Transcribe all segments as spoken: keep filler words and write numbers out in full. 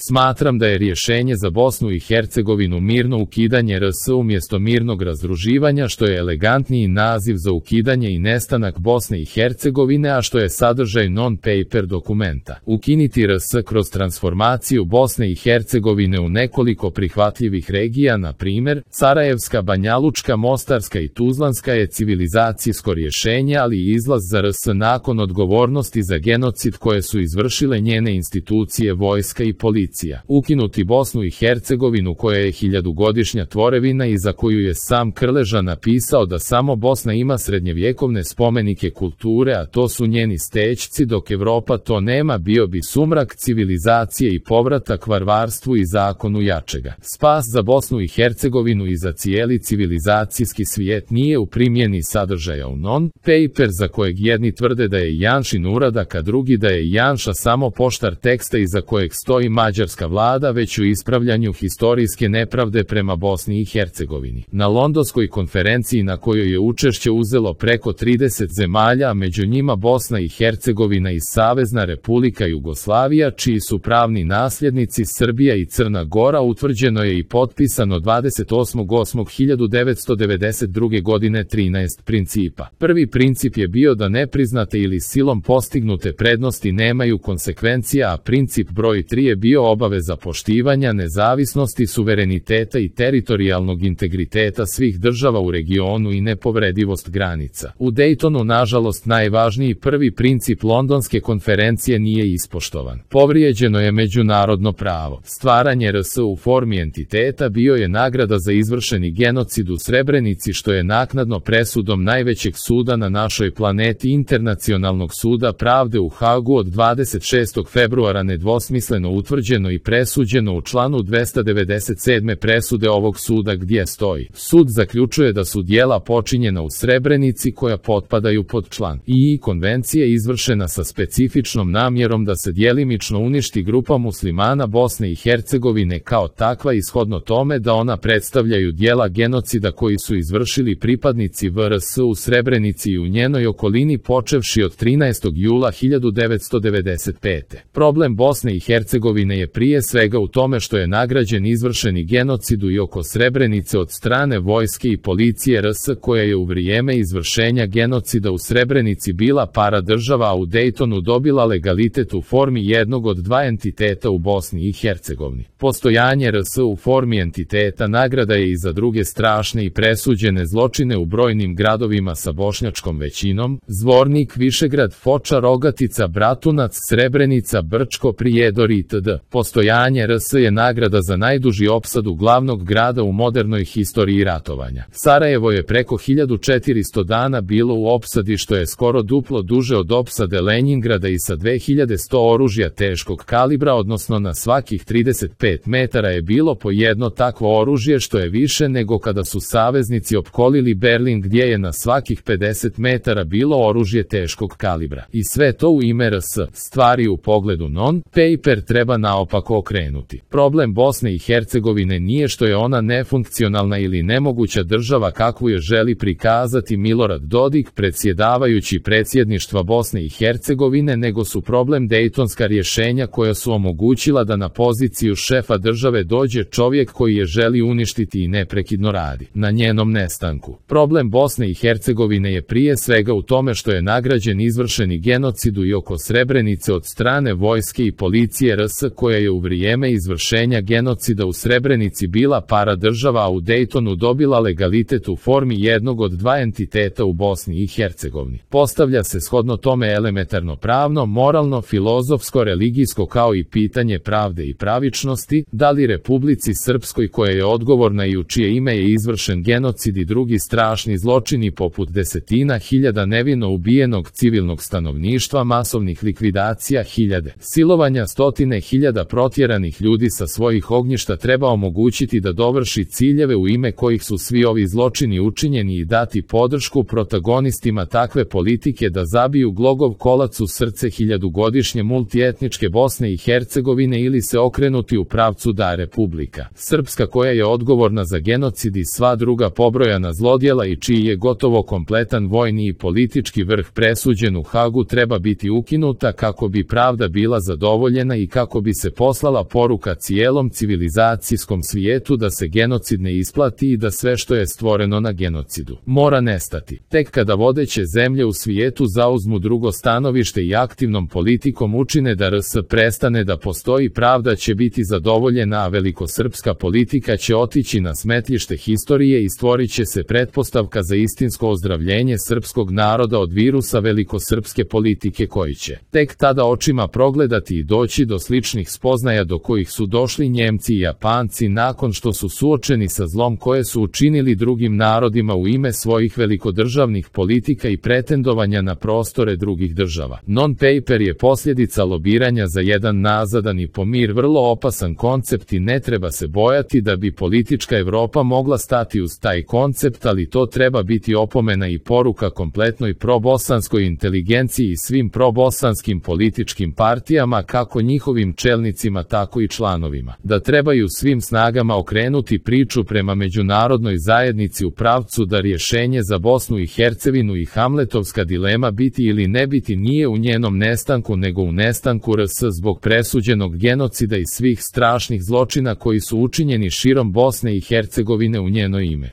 Smatram da je rješenje za Bosnu i Hercegovinu mirno ukidanje R S umjesto mirnog razdruživanja, što je elegantniji naziv za ukidanje i nestanak Bosne i Hercegovine, a što je sadržaj non-paper dokumenta. Ukiniti R S kroz transformaciju Bosne i Hercegovine u nekoliko prihvatljivih regija, na primjer, Sarajevska, Banjalučka, Mostarska i Tuzlanska je civilizacijsko rješenje, ali i izlaz za R S nakon odgovornosti za genocid koje su izvršile njene institucije, vojska i policija. Ukinuti Bosnu i Hercegovinu koja je hiljadugodišnja tvorevina i za koju je sam Krleža napisao da samo Bosna ima srednjevjekovne spomenike kulture, a to su njeni stećci, dok Evropa to nema, bio bi sumrak civilizacije i povratak varvarstvu i zakonu jačega. Spas za Bosnu i Hercegovinu i za cijeli civilizacijski svijet nije u primjeni sadržaja u non-paper za kojeg jedni tvrde da je Janšin uradak, a drugi da je Janša samo poštar teksta iza kojeg stoji mađarska vlada, već u ispravljanju historijske nepravde prema Bosni i Hercegovini. Na londonskoj konferenciji na kojoj je učešće uzelo preko trideset zemalja, a među njima Bosna i Hercegovina i Savezna Republika Jugoslavija, čiji su pravni nasljednici Srbija i Crna Gora, utvrđeno je i potpisano dvadeset osmog osmog hiljadu devetsto devedeset druge godine trinaest principa. Prvi princip je bio da nepriznate ili silom postignute prednosti nemaju konsekvencija, a princip broj tri je bio obaveza poštivanja nezavisnosti, suvereniteta i teritorijalnog integriteta svih država u regionu i nepovredivost granica. U Dejtonu, nažalost, najvažniji prvi princip Londonske konferencije nije ispoštovan. Povrijeđeno je međunarodno pravo. Stvaranje R S u formi entiteta bio je nagrada za izvršeni genocid u Srebrenici, što je naknadno presudom najvećeg suda na našoj planeti, Internacionalnog suda pravde u Hagu od dvadeset šestog februara nedvosmisleno utvrđeno i presuđeno u članu dvesta devedeset sedme presude ovog suda, gdje stoji: sud zaključuje da su djela počinjena u Srebrenici koja potpadaju pod član I konvencije izvršena sa specifičnom namjerom da se djelimično uništi grupa muslimana Bosne i Hercegovine kao takva, ishodno tome da ona predstavljaju djela genocida koji su izvršili pripadnici V R S u Srebrenici i u njenoj okolini počevši od trinaestog jula hiljadu devetsto devedeset pete. Problem Bosne i Hercegovine je prije svega u tome što je nagrađen izvršeni genocidu i oko Srebrenice od strane vojske i policije R S, koja je u vrijeme izvršenja genocida u Srebrenici bila paradržava, a u Dejtonu dobila legalitet u formi jednog od dva entiteta u Bosni i Hercegovini. Postojanje R S u formi entiteta nagrada je i za druge strašne i presuđene zločine u brojnim gradovima sa bošnjačkom većinom: Zvornik, Višegrad, Foča, Rogatica, Bratunac, Srebrenica, Brčko, Prijedor itd. Postojanje R S je nagrada za najduži opsadu glavnog grada u modernoj historiji ratovanja. Sarajevo je preko hiljadu četiristo dana bilo u opsadi, što je skoro duplo duže od opsade Lenjingrada i sa dve hiljade sto oružja teškog kalibra, odnosno na svakih trideset pet metara je bilo po jedno takvo oružje, što je više nego kada su saveznici opkolili Berlin, gdje je na svakih pedeset metara bilo oružje teškog kalibra. I sve to u ime R S. Stvari u pogledu non-paper treba naopako okrenuti. Problem Bosne i Hercegovine nije što je ona nefunkcionalna ili nemoguća država kakvu je želi prikazati Milorad Dodik, predsjedavajući predsjedništva Bosne i Hercegovine, nego su problem dejtonska rješenja koja su omogućila da na poziciju šefa države dođe čovjek koji je želi uništiti i neprekidno radi na njenom nestanku. Problem Bosne i Hercegovine je prije svega u tome što je nagrađen izvršeni genocidu i oko Srebrenice od strane vojske i policije R S, koja je u vrijeme izvršenja genocida u Srebrenici bila paradržava, a u Dejtonu dobila legalitet u formi jednog od dva entiteta u Bosni i Hercegovini. Postavlja se shodno tome elementarno pravno, moralno, filozofsko, religijsko kao i pitanje pravde i pravičnosti: da li Republici Srpskoj, koja je odgovorna i u čije ime je izvršen genocid i drugi strašni zločini poput desetina hiljada nevino ubijenog civilnog stanovništva, masovnih likvidacija, hiljade silovanja, stotine hiljada protjeranih ljudi sa svojih ognjišta, treba omogućiti da dovrši ciljeve u ime kojih su svi ovi zločini učinjeni i dati podršku protagonistima takve politike da zabiju glogov kolac u srce hiljadugodišnje multietničke Bosne i Hercegovine ili se okrenuti u pravcu da Republika Srpska, koja je odgovorna za genocid i sva druga pobrojana zlodjela i čiji je gotovo kompletan vojni i politički vrh presuđen u Hagu, treba biti ukinuta kako bi pravda bila zadovoljena i kako bi se poslala poruka cijelom civilizacijskom svijetu da se genocid ne isplati i da sve što je stvoreno na genocidu mora nestati. Tek kada vodeće zemlje u svijetu zauzmu drugo stanovište i aktivnom politikom učine da R S prestane da postoji, pravda će biti zadovoljena, a velikosrpska politika će otići na smetlište historije i stvorit će se pretpostavka za istinsko ozdravljenje srpskog naroda od virusa velikosrpske politike koji će tek tada očima progledati i doći do sličnih spoznaja do kojih su došli Njemci i Japanci nakon što su suočeni sa zlom koje su učinili drugim narodima u ime svojih velikodržavnih politika i pretendovanja na prostore drugih država. Non-paper je posljedica lobiranja za jedan nazadan i po mir vrlo opasan koncept i ne treba se bojati da bi politička Evropa mogla stati uz taj koncept, ali to treba biti opomena i poruka kompletnoj probosanskoj inteligenciji i svim probosanskim političkim partijama, kako njihovim čelnicima tako i članovima, da trebaju svim snagama okrenuti priču prema međunarodnoj zajednici u pravcu da rješenje za Bosnu i Hercegovinu i hamletovska dilema biti ili ne biti nije u njenom nestanku nego u nestanku R S zbog presuđenog genocida i svih strašnih zločina koji su učinjeni širom Bosne i Hercegovine u njeno ime.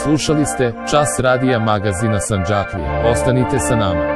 Slušali ste Čas radija magazina Sandžaklija. Ostanite sa nama.